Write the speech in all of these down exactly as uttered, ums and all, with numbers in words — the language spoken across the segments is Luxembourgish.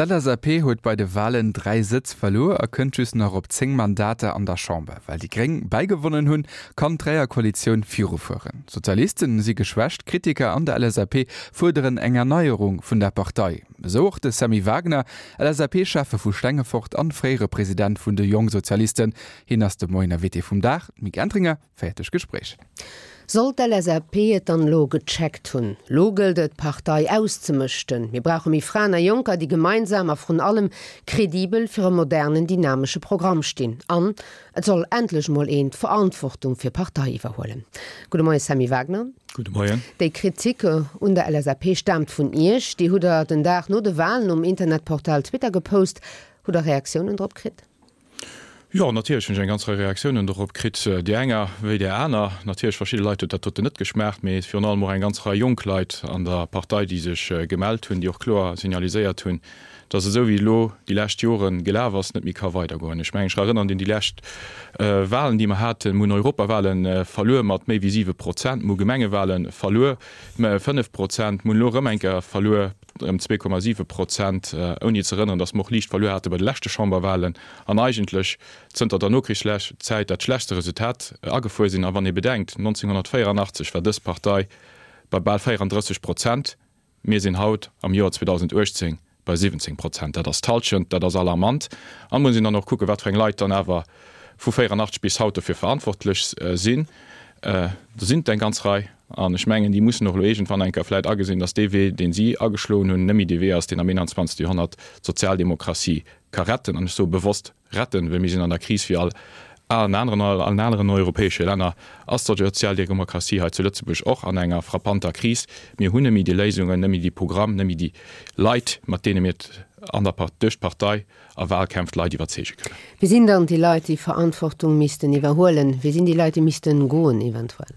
D'LSAP huet bei de Walen dräi Sëtz verluer a kënnt just nach op zéng Mandater an der Chamber. Well déi Gréng bäigewonnen hunn, kann d'Dräierkoalitioun virufueren. D'Sozialisten si geschwächt, Kritiker an der LSAP fuerderen eng Erneierung vun der Partei. Esou och de Sammy Wagner, LSAP-Schäffe vu Stengefort an fréiere President vun de Jongsozialisten. Hien ass de Moien Invité vum Dag. D'Mick Entringer féiert d'Gespréich. Soll d'LSAP et dann lo gecheckt hunn? Lo gëllt et, d'Partei auszemëschten. Mir brauche méi Fraen a Jonker, déi gemeinsam a vrun allem kredibel fir e modernen, dynamesche Programm stinn. An et soll endlech mol een d'Verantwortung fir d'Partei iwwerhuelen. Gudde Moien, Sammy Wagner. Gudde Moien. Déi Kritik un der LSAP staamt vun Iech. Déi hutt Der den Dag no de Walen um Internetportal Twitter gepost. Hutt Der Reaktiounen drop kritt? Jo, natierlech hunn ech eng ganz Rei Reaktiounen dorop kritt, déi enger wéi déi aner. Natierlech verschidde Leit huet dat doten net geschmaacht, mee virun allem och eng ganz Rei jonk Leit an der Partei, déi sech gemellt hunn, déi och kloer signaliséiert hunn, dass esou wéi elo déi lescht Jore gelaf ass, net méi ka weidergoen. Ech mengen, ech erënneren un déi lescht Walen, déi mer haten. Mir hunn Europawale verluer mat méi wéi siwe Prozent, mir hu Gemengewale verluer, fënnef Prozent, mir hunn elo erëm eng Kéier verluer, ëm zwee Komma siwe Prozent, ouni ze erënneren, datt mer och liicht verluer hate bei de leschte Chamberwahlen an eigentlech zënter der Nokrichszäit dat schlechtste Resultat agefuer sinn. A wann ee bedenkt, nonzénghonnertvéierunachtzeg war dës Partei bei bal véierandrësseg Prozent, mir sinn haut am Joer zweedausenduechtzéng bei siwwenzéng Prozent, dat ass d'Halschent, dat ass alarmant. An et muss een dann och kucken, wat fir eng Leit dann awer vu véierunachtzeg bis haut dofir verantwortlech sinn. Do sinn et eng ganz Rei. An ech mengen, déi mussen och elo iergendwann eng Kéier vläicht agesinn, datt dee Wee, dee si ageschloen hunn, net méi dee Wee ass, deen am einundzwanzegste Joerhonnert d'Sozialdemokratie ka retten. An ech soe bewosst retten, well mir sinn an der Kris wéi all allen aneren, allen aneren europäesche Länner ass d'Sozialdemokratie hei zu Lëtzebuerg och an enger frappanter Kris. Mir hunn net méi déi Léisungen, net méi déi Programm, net méi déi Leit, mat deene mir an der, duerch d'Partei a Wahlkämpf d'Leit iwwerzeege kënnen. Wie sinn dann déi Leit, déi Verantwortung missten iwwerhuelen? Wie sinn déi Leit, déi missten goen eventuell?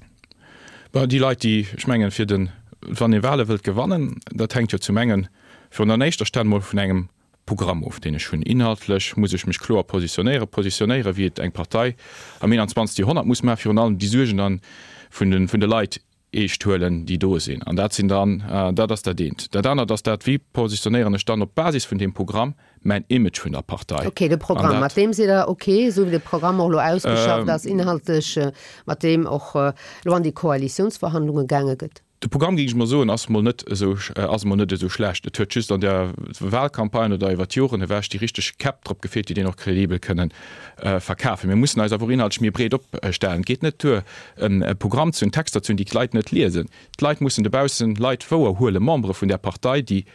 Bon, déi Leit, déi, ech mengen, fir den, wann ee Wahle wëllt gewannen, dat hänkt jo zum engen virun an éischter Stell mol vun engem Programm of, deen ech hunn. Inhaltlech muss ech mech kloer positionéieren, positionéieren, wéi et eng Partei am einundzwanzegste Joerhonnert muss maachen, virun allem déi Suergen dann vun de, vun de Leit eescht huelen, déi do sinn. An dat sinn dann, dat ass dat eent. Dat anert ass dat, wéi positionéieren ech dann op Basis vun deem Programm mäin Image vun der Partei? Ok, de Programm, mat deem sidd Der ok, esou wéi de Programm och elo ausgeschafft ass, inhaltlech, mat deem och elo an déi Koalitiounsverhandlunge gaange gëtt? De Programm, géing ech mol soen, ass mol net esou, ass mol net esou schlecht. Et huet just an der Wahlcampagne oder iwwer d'Joren ewech déi richteg Käpp drop gefeelt, déi deen och kredibel kënnen verkafen. Mir mussen eis awer och inhaltlech méi breet opstellen. Et geet net duer, e Programm ze hunn, Texter ze hunn, déi d'Leit net liesen. D'Leit mussen dobaussen Leit wouerhuelen, Membere vun där Partei, déi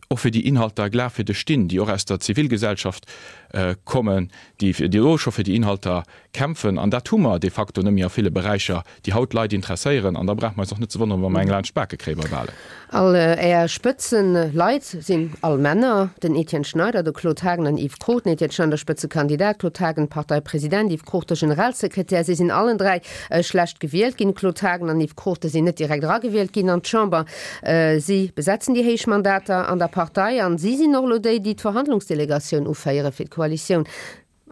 och fir déi Inhalter glafwierdeg stinn, déi och aus der Zivilgesellschaft kommen, déi elo scho fir déi Inhalter kämpfen. An dat hu mer de facto net méi a ville Beräicher, déi haut d'Leit interesséieren. An da brauche mer eis och net ze wonneren, wa mer eng laanscht d'Bake kréie bei Wahlen. All Är Spëtzeleit sinn all Männer, den Etienne Schneider, de Claude Haagen an Yves Cruchten. Etienne Schneider Spëtzekandidat, Claude Haagen Parteipresident, Yves Cruchten Generalsekretär. Si sinn allen dräi schlecht gewielt ginn. Claude Haagen an Yves Cruchten sinn net direkt eragewielt ginn an d'Chamber. Si besetzen déi héich Mandater an der Partei an si sinn och elo déi, déi d'Verhandlungsdelegatioun uféiere fir d'Koalitioun.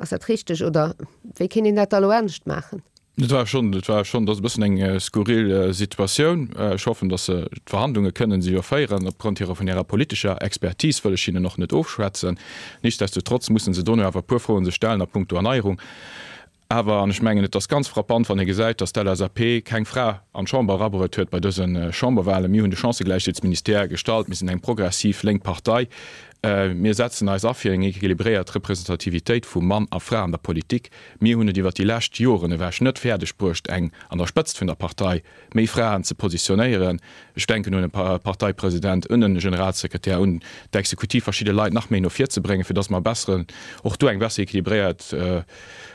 Ass dat richteg oder wéi kéint een dat da elo anescht maachen? Et war schonn, et war schonn, dat ass e bëssen eng skurril Situatioun. Ech hoffen, datt se d'Verhandlunge kënnen se jo féieren. Opgrond hirer, vun hirer politescher Expertise wëll ech hinnen och net ofschwätzen. Nichtsdestotrotz mussen se dono awer e puer Froen sech stellen a puncto Erneierung. Awer, an ech mengen, et ass ganz frappant, wann ee gesäit, datt d'LSAP keng Fra an d'Chamber erabruet huet bei dëse Chamberwahlen. Mir hunn de Chancëgläichheetsministère gestallt. Mir sinn eng progressiv lénk Partei. Mir setzen eis a fir eng equilibréiert Representativitéit vu Mann a Fra an der Politik. Mir hunn et iwwert déi lescht Joren ewech net fäerdeg bruecht, eng an der Spëtzt vun der Partei méi Fraen ze positionéieren. Ech denken un e Parteipresident, un e Generalsekretär, un d'Exekutiv, verschidde Leit nach méi no vir ze bréngen, fir datt mer e besseren, och do eng besser equilibréiert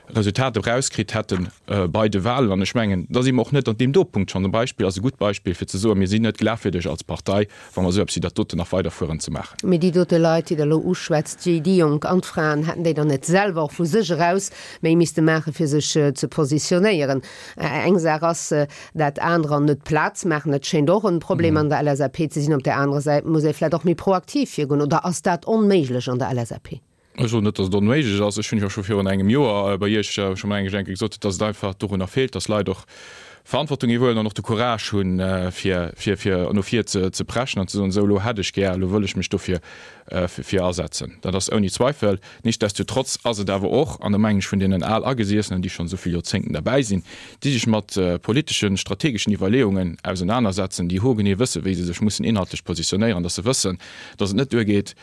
Resultat erauskritt hätte bei de Wahlen. An ech mengen, da si mer och net an deem do Punkt schonn. E Beispill ass e gutt Beispill, fir ze soen, mir sinn net glafwierdeg als Partei, wa mer esou eppes wéi dat doten nach weiderfueren ze maachen. Mee déi dote Leit, déi Der elo uschwätzt, déi déi Jonk an d'Fraen, hätten déi dann net selwer och vu sech eraus méi misste maachen, fir sech ze positionéieren? Eng Saach ass dat, anerer net Plaz maachen, dat schéint och e Problem an der LSAP ze sinn. Op där anerer Säit muss ee vläicht och méi proaktiv virgoen, oder ass dat onméiglech an der LSAP? Ech soen net, datt et onméiglech ass. Ech hunn jo scho virun engem Joer bei Iech scho mol eng Kéier gesot, datt et einfach dorunner feelt, datt Leit och Verantwortung iwwerhuelen an och de Courage hunn, fir, fir, fir no vir ze, ze preschen an ze soen, esou elo hätt ech gär, elo wëll ech mech dofir fir asetzen. Dat ass ouni Zweifel. Nichtsdestotrotz ass et awer och, an da mengen ech vun deenen al Agesiessenen, déi schonn esou vill Joerzéngten derbäi sinn, déi sech mat politeschen, strategeschen Iwwerleeungen ausenanersetzen, déi hoergenee wëssen, wéi se sech mussen inhaltlech positionéieren, dass se wëssen, dass et net duergeet,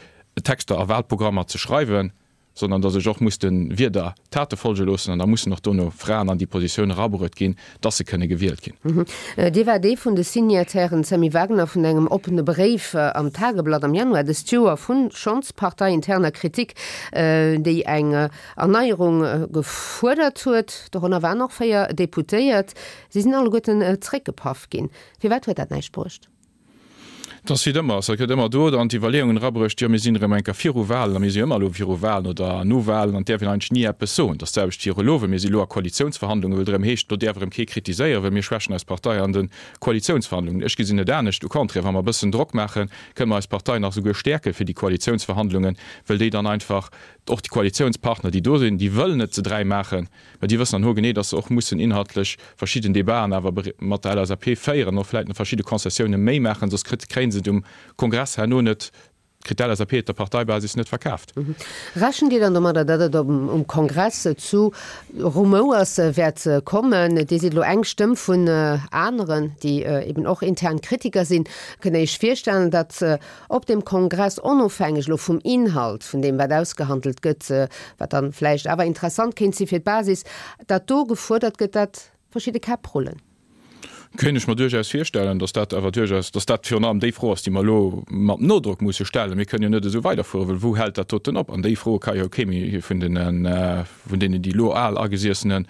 Texter a Wahlprogrammer ze schreiwen, sondern dass ech och muss de Wierder Tate folge loossen an da mussen och dono Fraen an déi Positioun erabruet ginn, dass se kënne gewielt ginn. Dir waart ee vun de Signatairen, Sammy Wagner, vun engem oppene Bréif am Tageblatt am Januar dëst Joer vu schonns parteiinterner Kritik, déi eng Erneierung gefuerdert huet. Dorënner waren och véier Deputéiert. Si sinn alleguerten zréckgepaff ginn. Firwat huet dat näischt bruecht? Et ass wéi ëmmer, et gëtt ëmmer do dann d'Iwwerleeungen erabruecht, jo mir sinn erëm eng Kéier viru Wahlen a mir si jo ëmmer elo viru Wahlen oder no Wahlen an et däerf een eigentlech ni eppes soen. Et ass d'selwecht viru elo, well mir si elo a Koalitiounsverhandlungen, wou et erëm heescht, do däerf erëm kee kritiséieren, well mir schwächen eis Partei an de Koalitiounsverhandlungen. Ech gesinn et anescht, au contraire, wa mer e bëssen Drock maachen, kënne mer eis Partei nach souguer stäerke fir déi Koalitiounsverhandlungen, well déi dann einfach och déi Koalitiounspartner, déi do sinn, déi wëllen et ze dräi maachen, mä déi wëssen dann hogenee, dass se och mussen inhaltlech verschidden Debaten awer mat der L S A P féieren, och vläicht nach verschidde Concessiounen méi maachen, soss kritt, kréien se et um Kongress herno net, kritt d'L S A P et der Parteibasis net verkaaft. Rechent Dir dann domadder, datt et um Kongress zu Rumouers wäert kommen? Dir sidd elo eng Stëmm vun aneren, déi eben och intern Kritiker sinn. Kënnt Der Iech virstellen, datt op deem Kongress, onofhängeg elo vum Inhalt vun deem, wat ausgehandelt gëtt, wat dann vläicht awer interessant kéint si fir d'Basis, datt do gefuerdert gëtt, datt verschidde Käpp rullen? Kéint ech mer duerchaus virstellen, datt dat awer duerchaus, datt dat virun allem déi Fro ass, déi mer elo mat Nodrock musse stellen. Mir kënnen jo net esou weiderfueren, well wou hält dat doten op? An déi Fro ka jo kee méi vun deenen, vun deenen, déi elo al Agesiessenen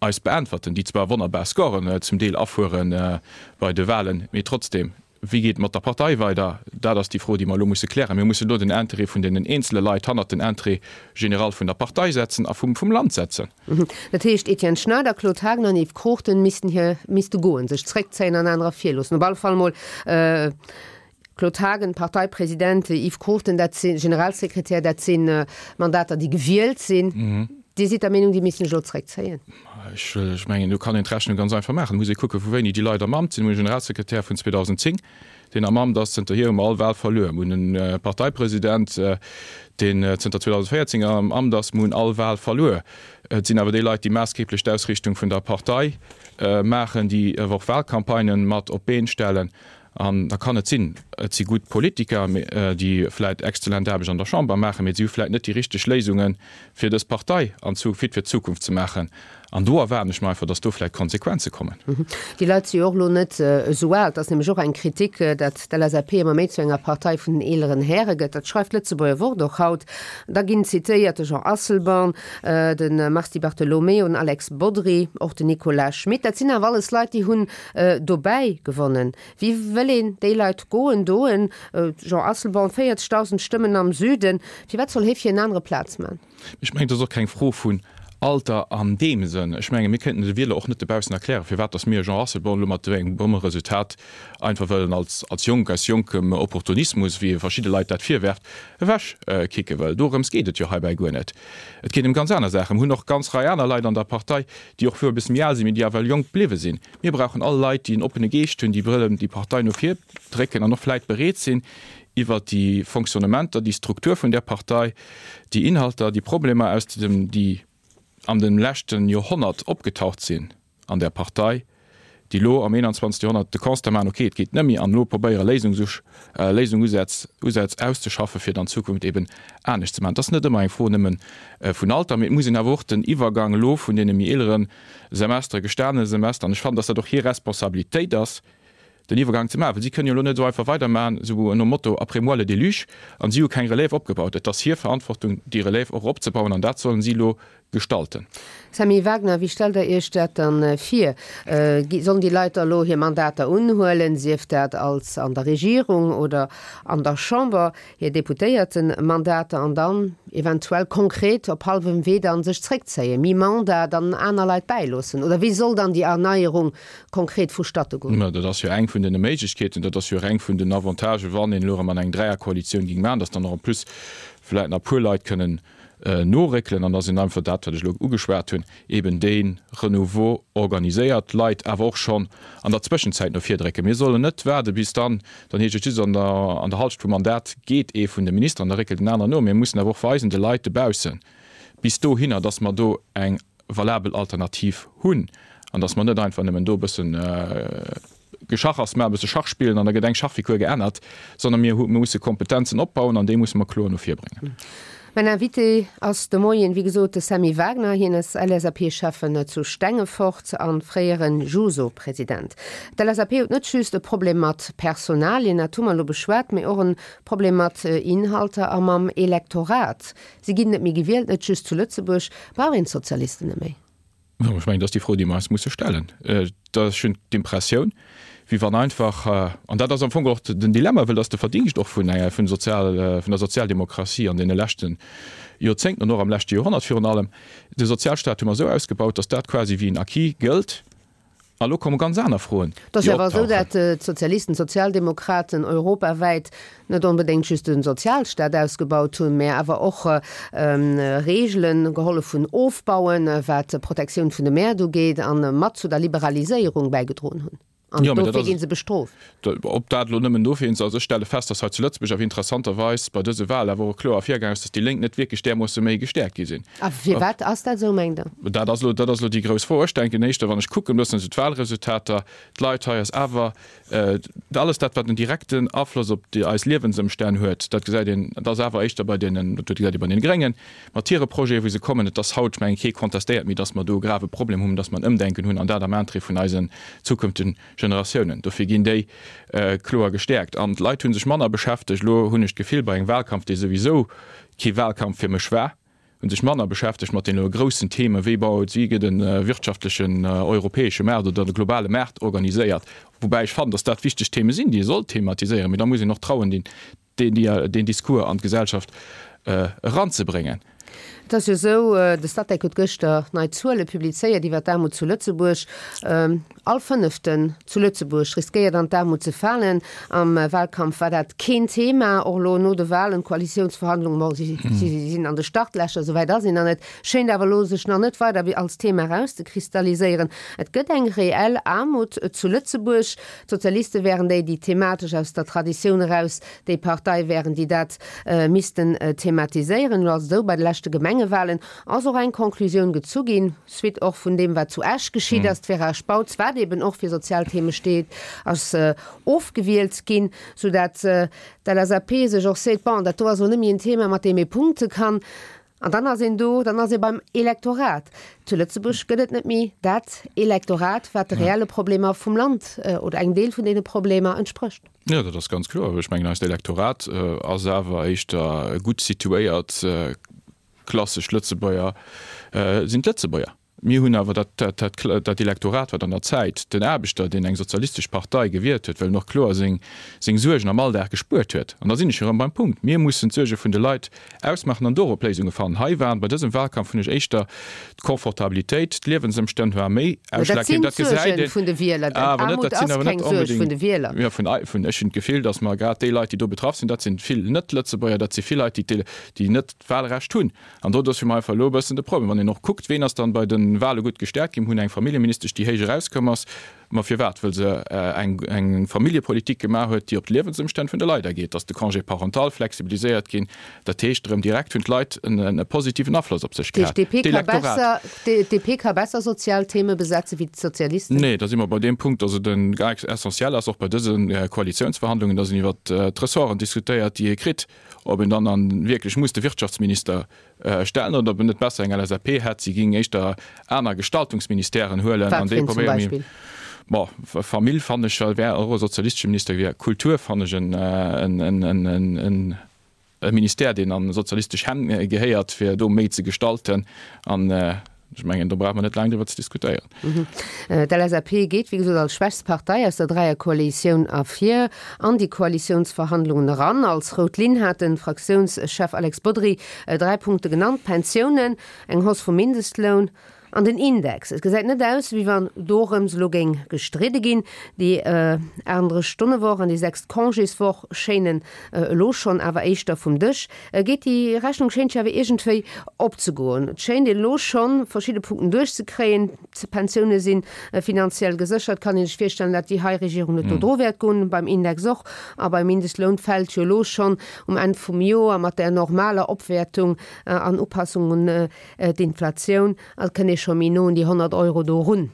eis beäntwerten, déi zwar wonnerbar Scoren zum Deel afuere bei de Wahlen, mee trotzdem, wéi geet et mat der Partei weider? Dat ass déi Fro, déi mer elo musse klären. Mir mussen elo den Intérêt vun deenen eenzele Leit hannert den Intérêt général vun der Partei setzen a vum, vum Land setzen. Dat heescht, Etienne Schneider, Claude Haagen an Yves Cruchten missten hir, misste goen, sech zréckzéien an anerer virloossen. Op alle Fall mol Claude Haagen, Parteipresident, Yves Cruchten, dat si Generalsekretär, dat si Mandater, déi gewielt sinn. Dir sidd der Meenung, déi missten sech elo zréckzéien? Ech, ech mengen, do kann een d'Rechnung ganz einfach maachen. Et muss ee kucken, vu wéini déi Leit am Amt sinn. Mir hunn e Generalsekretär vun zweedausend zéng, deen am Amt ass. Zënterhier hu mer all Wahl verluer. Mir hunn e Parteipresident, deen zënter zweedausend véierzéng am Amt ass. Mir hunn all Wahl verluer. Et sinn awer déi Leit, déi maassgeeblech d'Ausrichtung vun der Partei maachen, déi awer och Wahlcampagnen mat op d'Been stellen. An da kann et sinn, et si gutt Politiker, déi vläit exzellent Aarbecht an der Chamber maachen, mee si hu vläit net déi richteg Léisunge fir dës Partei an fit fir d'Zukunft ze maachen. An do erwaarden ech mer einfach, datt do vläit Konsequenze kommen. Déi Leit si jo och elo net esou al. Et ass nämlech och eng Kritik, datt d'L S A P ëmmer méi zu enger Partei vun den eeleren Häre gëtt. Dat schreift d'Lëtzebuerger Wort och haut. Da ginn zitéiert de Jean Asselborn, de Mars Di Bartolomeo, den Alex Bodry, och den Nicolas Schmit. Dat sinn awer alles Leit, déi hunn dobäi gewonnen. Wéi wëll een déi Leit goen doen? Jean Asselborn, véierzegdausend Stëmmen am Süden, firwat soll hie fir en anere Plaz man? Ech mengen, et ass och keng Fro vun Alter an deem Sënn. Ech menge mir kënnten de Wieler och net dobaussen erklären, firwat datt mir Jean Asselborn elo mat engem Bommeresultat einfach wëllen als als jonk, aus jonkem Opportunismus, wéi e verschidde Leit dat virwerft, ewech kicke wëll. Dorëms geet et jo heibäi guer net. Et geet ëm ganz aner Saachen. Mir hunn och ganz Rei aner Leit an der Partei, déi och wuel e bësse méi al sinn, mee déi awer jonk bliwwe sinn. Mir brauchen all Leit, déi en oppene Geescht hunn, déi wëllen déi Partei no vir drécken an och vläit bereet sinn, iwwert déi Fonctionnementer, déi Struktur vun där Partei, déi Inhalter, déi Problemer aus dem, déi an dem leschten Joerhonnert opgetaucht sinn an der Partei, déi elo am eenanzwanzegste. Joerhonnert de Constat maachen, okay, et geet net méi, an elo probéiere Léisungsusch, Léisungsusätz, Usätz auszeschaffen, fir et an Zukunft eben anescht ze maachen. Et ass net ëmmer eng Fro nëmme vun Alter, mee et muss een awer och den Iwwergang elo vun deene méi eelere Semestere, gestanene Semester, an ech fannen, dass dat och hir Responsabilitéit ass, den Iwwergang ze maachen, well si kënnen jo elo net esou einfach weidermaachen, esou nom Motto après moi le déluge, an si hu keng Relève opgebaut. Et ass hir Verantwortung, déi Relève och opzebauen, an dat sollen si elo gestalten. Sammy Wagner, wéi stellt Der Iech dat dann vir? Sollen déi Leit da elo hir Mandater unhuelen, sief dat als an der Regierung oder an der Chamber, hir Deputéiertenmandater, an dann eventuell konkret op hallwem Wee dann sech zréckzéien, mi-mandat, dann aner Leit bäiloossen? Oder wéi soll dann déi Erneierung konkret vustatte goen? Mä dat ass jo eng vun den Méiglechkeeten, dat ass jo och eng vun den Avantagen, wann een elo erëm an eng Dräierkoalitioun géing maachen, dass dann och en plus vläicht nach e puer Leit kënnen noréckelen an dass een einfach dat, wat ech elo ugeschwat hunn, eben dee Renouveau organiséiert, d'Leit awer och schonn an der Zwëschenzäit no vir drécken. Mir sollen net waarde bis dann, dann heescht et just an der, an der Halschent vum Mandat geet ee vun de Ministeren, da réckelt en aneren no. Mir mussen awer och weisen de Leit dobaussen bis dohinner, dass mer do eng valabel Alternativ hunn an dass mer net einfach nëmmen do e bëssen Geschachers maachen, e bësse Schach spillen an da gëtt eng Schachfigur geännert, sondern mir musse Kompetenzen opbauen an déi musse mer kloer no vir bréngen. Mäin Invité ass de Moien, wéi gesot, de Sammy Wagner. Hien ass L S A P-Schäffen zu Stengefort a fréiere Juso-President. D'L S A P huet net just e Problem mat Personalien, dat hu mer elo beschwat, mee och e Problem mat Inhalter a mam Elektorat. Si ginn net méi gewielt, net just zu Lëtzebuerg. Brauch een d'Sozialisten net méi? Ech mengen, dat ass déi Fro, déi mer eis musse stellen. Ech hunn d'Impressioun, wéi wann einfach, an dat ass am Fong och den Dilemma, well dat ass de Verdingscht och vun enger, vun Sozial, vun der Sozialdemokratie an deene leschte Joerzéngten an och am leschte Joerhonnert virun allem, de Sozialstaat hu mer esou ausgebaut, datt dat quasi wéi en Acquis gëllt. A lo komme ganz aner Froen, Et ass déi jo awer esou, optauchen. datt d'Sozialisten, d'Sozialdemokraten europawäit net onbedéngt just de Sozialstaat ausgebaut hunn, mä awer och Reegelen gehollef hunn ofbauen, wat d'Protektioun vun de Mäert ugeet, a mat zu der Liberaliséierung bäigedroen hunn. An Jo, mee dat dofir ass gi se bestrooft. Ob dat elo nëmmen dofir ass, also ech stelle fest, datt hei zu Lëtzebuerg awer interessanterweis bei dëse Wahlen awer och kloer ervirgaangen ass, datt déi Lénk net wierklech därmoosse méi gestäerkt gi sinn. A firwat ass dat esou, mengt Der? Dat ass elo, dat ass elo déi grouss Fro. Ech denken éischter, wann ech kucken e bëssen esou d'Wahlresultater, d'Leit hei ass awer alles dat, wat en direkten Afloss op déi eis Liewensëmstänn huet, dat gesäit een, dat ass awer éischter bei deenen, dat gesäit ee bei den Gréngen mat hire Projeten, wou se kommen. Et ass haut, ech mengen, kee contestéiert méi, datt mer do e grave Problem hunn, datt mer en Ëmdenken hunn an dat am Interêt vun eisen zukünftigen Generatiounen. Dofir ginn déi kloer gestäerkt. An d'Leit hu sech manner beschäftegt, elo hunn ech d'Gefill, bei engem Wahlkampf, dee souwisou kee Wahlkampf fir mech war, hu sech manner beschäftegt mat deene groussen Themen, wéi baut, wéi gëtt e wirtschaftlechen europäesche Maart oder de globale Maart organiséiert. Woubäi ech fannen, datt dat wichteg Theme sinn, déi ee soll thematiséieren, mee da muss een och trauen, deen, deen Discours an d'Gesellschaft eranzebréngen. Et ass jo esou, de Statec huet gëschter nei Zuele publizéiert iwwer d'Aarmut zu Lëtzebuerg. All Fënneften zu Lëtzebuerg riskéiert an d'Aarmut ze falen. Am Wahlkampf war dat keen Thema, och elo no de Wahlen, d'Koalitiounsverhandlungen, bon, si sinn an de Startlächer, esouwäit ass een nach net, schéint awer elo sech nach net weider wéi als Thema erauszekristalliséieren. Et gëtt eng reell Aarmut zu Lëtzebuerg. D'Sozialiste wären déi, déi thematesch aus der Traditioun eraus déi Partei wären, déi dat missten thematiséieren. Elo ass et esou, bei de leschte Gemengewahlen ass och eng Conclusioun gezu ginn, suite och vun deem, wat zu Esch geschitt ass, d'Vera Spautz, wat eben och fir sozial Theme steet, ass ofgewielt ginn, soudatt d'L S A P sech och seet, bon, dat do ass elo net méi en Thema, mat deem ee punkte kann. An dann ass een do, dann ass ee beim Elektorat. Zu Lëtzebuerg gëtt et net méi dat Elektorat, wat de reelle Problemer vum Land oder engem Deel vun deene Problemer entsprécht. Jo, dat ass ganz kloer. Ech mengen, eist Elektorat ass awer éischter gutt situéiert, klassesch Lëtzebuerger sinn d'Lëtzebuerger. Mir hunn awer dat, dat, dat, dat Elektorat, wat an der Zäit den Aarbechter, deen eng sozialistesch Partei gewielt huet, well en och kloer seng, seng Suergen am Alldag gespuert huet. An da sinn ech erëm beim Punkt, Mir mussen d'Suerge vun de Leit ausmaachen an dorop Léisunge fannen. Hei waren bei dësem Wahlkampf, hunn ech éischter d'Confortabilitéit, d'Liewensëmstänn war méi Mä dat sinn ausschlaggebend. Dat gesäit d'Suerge een vun de Wieler. Denn awer net, Aarmut dat sinn ass awer net keng Suerg vun onbedéngt, de Wieler. jo, vun, vun, ech hunn d'Gefill, datt mer grad déi Leit, déi do betraff sinn, dat sinn vill Net-Lëtzebuerger, dat si vill Leit, déi, déi net d'Wahlrecht hunn. An do ass fir mech einfach elo e bëssen de Problem, wann een och kuckt, ween ass dann bei de Wahle gutt gestäerkt ginn. Mir hunn eng Familljeministesch, déi héich erauskomm ass. Ma firwat? Well se eng, eng Familljepolitik gemaach huet, déi op d'Liewensëmstänn vun de Leit ageet, dass de Congé parental flexibiliséiert ginn. Dat heescht erëm direkt hunn d'Leit en, e positiven Afloss op sech Dat gehat. heescht, d'D P ka D'Elektorat. besser, d'D P ka besser sozial Theme besetze wéi d'Sozialisten? Nee, da si mer bei deem Punkt, dass et en essentiel ass, och bei dëse Koalitiounsverhandlungen, dass een iwwert d'Ressorten diskutéiert, déi ee kritt. Ob een dann an wierklech muss de Wirtschaftsminister stellen oder ob en net besser eng L S A P hätt, si géing éischter aner Gestaltungsministèren huelen Wat an fir déi een zum probéiere méi. Beispill? Bon, Famill fannen ech wär och e sozialistesche Minister gewier. Kultur fannen ech en, en, en, en, en, en e Ministère, deen an sozialistesch Hänn gehéiert, fir do méi ze gestalten. An ech mengen, do brauche mer net laang driwwer ze diskutéieren. D'L S A P geet, wéi gesot, als schwächst Partei aus der Dräierkoalitioun ervir an déi Koalitiounsverhandlungen eran. Als rout Linn hat de Fraktiounschef Alex Bodry dräi Punkte genannt, Pensiounen, eng Hausse vum Mindestloun An den Index, et gesäit net aus, wéi wann dorëms elo géing gestridde ginn. Déi aachtenddrësseg Stonne-Woch an déi sechst Congéswoch schéinen elo schonn awer éischter vum Dësch. Geet déi Rechnung schéint jo awer iergendwéi opzegoen. Et schéint een elo schonn verschidde Punkten duerchzekréien. D'Pensioune si finanziell geséchert. Kann ee sech virstellen, dat déi hei Regierung net do dru wäert goen. Beim Index och. A beim Mindestloun fält jo elo schonn um Enn vum Joer mat där normaler Opwäertung an Upassung un d'Inflatioun, a kënn ee scho méi no un déi honnert Euro do erun,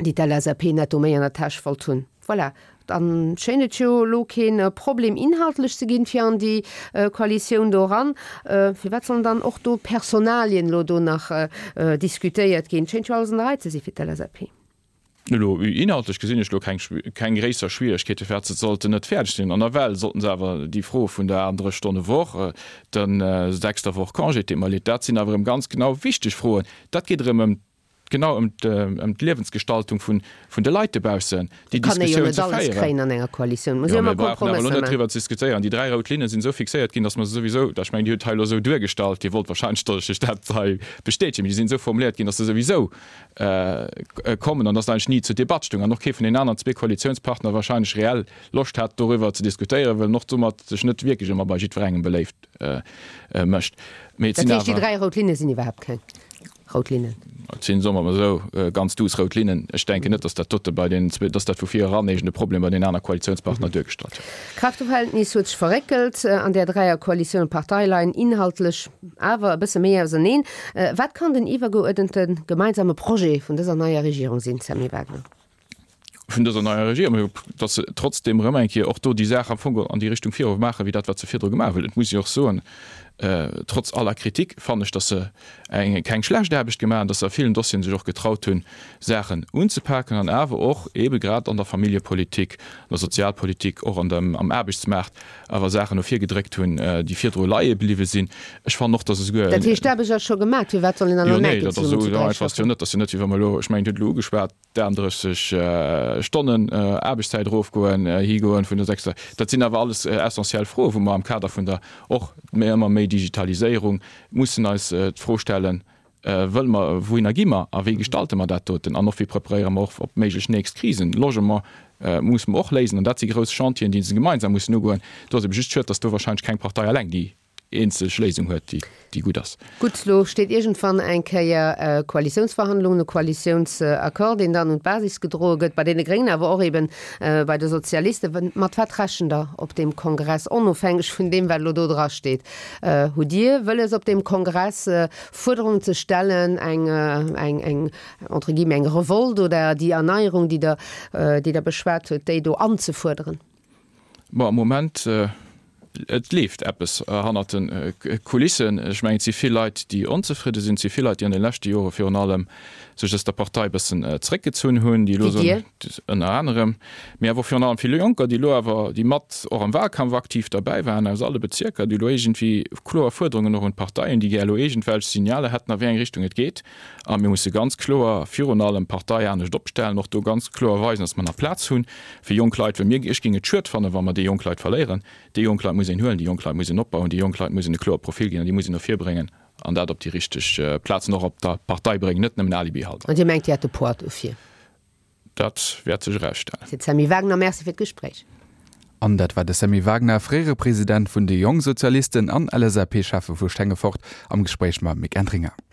déi d'LSAP netto méi an der Täsch wollt hunn. Voilà, dann schéint et jo elo kee Problem inhaltlech ze ginn, fir an déi Koalitioun do eran. Firwat sollen dann och do Personalien elo do nach diskutéiert ginn? Et schéint jo alles an der Rei ze si fir d'LSAP. Elo inhaltlech gesinn ech elo keng keng gréisser Schwieregkeete firwat se sollten net fäerdeg sinn. An nawell sollten se awer déi Fro vun der aachtenddrësseg Stonne Woch, der sechster Woch Congé, et deet mer leed, dat sinn awer erëm ganz genau wichteg Froen. Dat geet erëm ëm genau ëm ëm d'Liewensgestaltung vun vun de Leit dobaussen, déi Kann ee jo Diskussioun net ze alles féieren. kréien an enger Koalitioun. Muss Jo, ee mir ëmmer brauchen awer elo Kompromësser net maachen. driwwer ze diskutéieren. Déi dräi rout Linne sinn esou fixéiert ginn, datt mer se souwisou, ech mengen, Dir hutt hei elo esou duergestallt, Dir wollt wahrscheinlech, datt ech lech dat hei bestätegen, mee déi sinn esou formuléiert ginn, datt se souwisou kommen an datt eigentlech ni zur Debatt stoung an och kee vun den aneren zwee Koalitiounspartner wahrscheinlech reell Loscht hat, doriwwer ze diskutéieren, well en och domat sech net wierklech ëmmer bei jiddwerengem beléift mécht. Mee et Dat sinn heescht, déi awer. dräi rout Linne sinn iwwerhaapt keng rout Linnen? Et sinn, soe mer emol esou, ganz duuss rout Linnen. Ech denken net, datt dat dote bei den zwee, datt dat vu vir eran iergend e Problem bei den aner Koalitiounspartner duergestallt huet. D'Kräfteverhältnis huet sech verréckelt an där Dräierkoalitioun. D'Parteie leien inhaltlech awer e bësse méi auserneen. Wat kann den iwwergeuerdente gemeinsame Projet vun dëser neier Regierung sinn, Sammy Wagner? Vun dëser neier Regierung, datt se trotzdeem erëm eng Kéier och do déi Saach am Fong an déi Richtung viru maachen, wéi dat, wat se virdru gemaach hunn. Et muss ee och soen, trotz aller Kritik fannen ech, datt se eng keng schlecht Aarbecht gemaach hunn, datt se a villen Dossieren sech och getraut hunn, Saachen unzepaken an awer och eebe grad an der Familljepolitik, an der Sozialpolitik, och an dem, am Aarbechtsmaart awer Saachen no vir gedréckt hunn, déi virdru leie bliwwe sinn. Ech fannen och, datt esouguer. Dat heescht, d'Aarbecht ass scho gemaach, firwat soll een dann Jo, elo nee, näischt dat ass zesummen esou zu dräi einfach ass jo schaffen? net. Dat ass jo net, wéi wa mer elo, ech mengen, Dir hutt elo ugeschwat, d'aachtendrësseg Stonnen Aarbechtszäit erofgoen, higoen vun der sechster. Dat sinn awer alles essentiell Froen, wou mer am Kader vun der och méi ëmmer méi Digitaliséierung mussen eis d'Fro stellen, Wëlle mer, wouhinner gi mer a wéi gestalte mer dat doten an och wéi preparéiere mer och op méiglech nächst Krisen? Logement musse mer och léisen an dat si grouss Chantieren, déi se gemeinsam mussen ugoen. Do ass ebe just schued, datt do wahrscheinlech keng Partei eleng déi eenzeg Léisung huet, déi, déi gutt ass. Gutt, lo steet iergendwann eng Kéier Koalitiounsverhandlungen, e Koalitiounsaccord, deen dann un d'Basis gedroe gëtt, bei deene Gréngen, awer och eben bei de Sozialisten. Mat wat rechent Der op deem Kongress, onofhängeg vun deem, wat elo do dra steet? Hutt Dir wëlles op deem Kongress Fuerderungen ze stellen, eng, eng, eng, entre guillemets, eng Revolte oder déi Erneierung, déi Der, déi Der beschwat hutt, déi do anzefuerderen? Bon, am Moment, et leeft eppes hannert de Kulissen. Ech mengen, et si vill Leit, déi onzefridde sinn. Et si vill Leit, déi an de leschte Jore virun allem sech aus der Partei e bëssen zeréckgezunn hunn, déi elo Wéi Dir? Ënner anerem, mee awer och virun allem vill Jonker, déi elo awer, déi mat och am Wahlkampf aktiv derbäi waren, aus alle Bezierker, déi elo iergendwéi kloer Fuerderungen och un d'Partei hunn, déi gär elo iergendwelch Signaler hätten, a wéi eng Richtung et geet. A mir musse ganz kloer virun allem d'Partei anescht opstellen, och do ganz kloer weisen, dass mer nach Plaz hu fir jonk Leit, well mir, ech géing et schued fannen, wa mer déi jonk Leit verléieren. Déi jonk Leit muss een huelen, déi jonk Leit muss een opbauen, déi jonk Leit muss een e kloere Profil ginn an déi muss een no vir bréngen an dat op déi richteg Plazen och op der Partei bréngen, net nëmmen Alibi-Halter. An Dir mengt, Dir hätt de Poids dofir? Dat wäert sech erausstellen. Seet Sammy Wagner. Merci fir d'Gespréich. An dat war de Sammy Wagner, fréiere President vun de Jongsozialisten an L S A P-Schäffe vu Stengefort, am Gespréich mam Mick Entringer.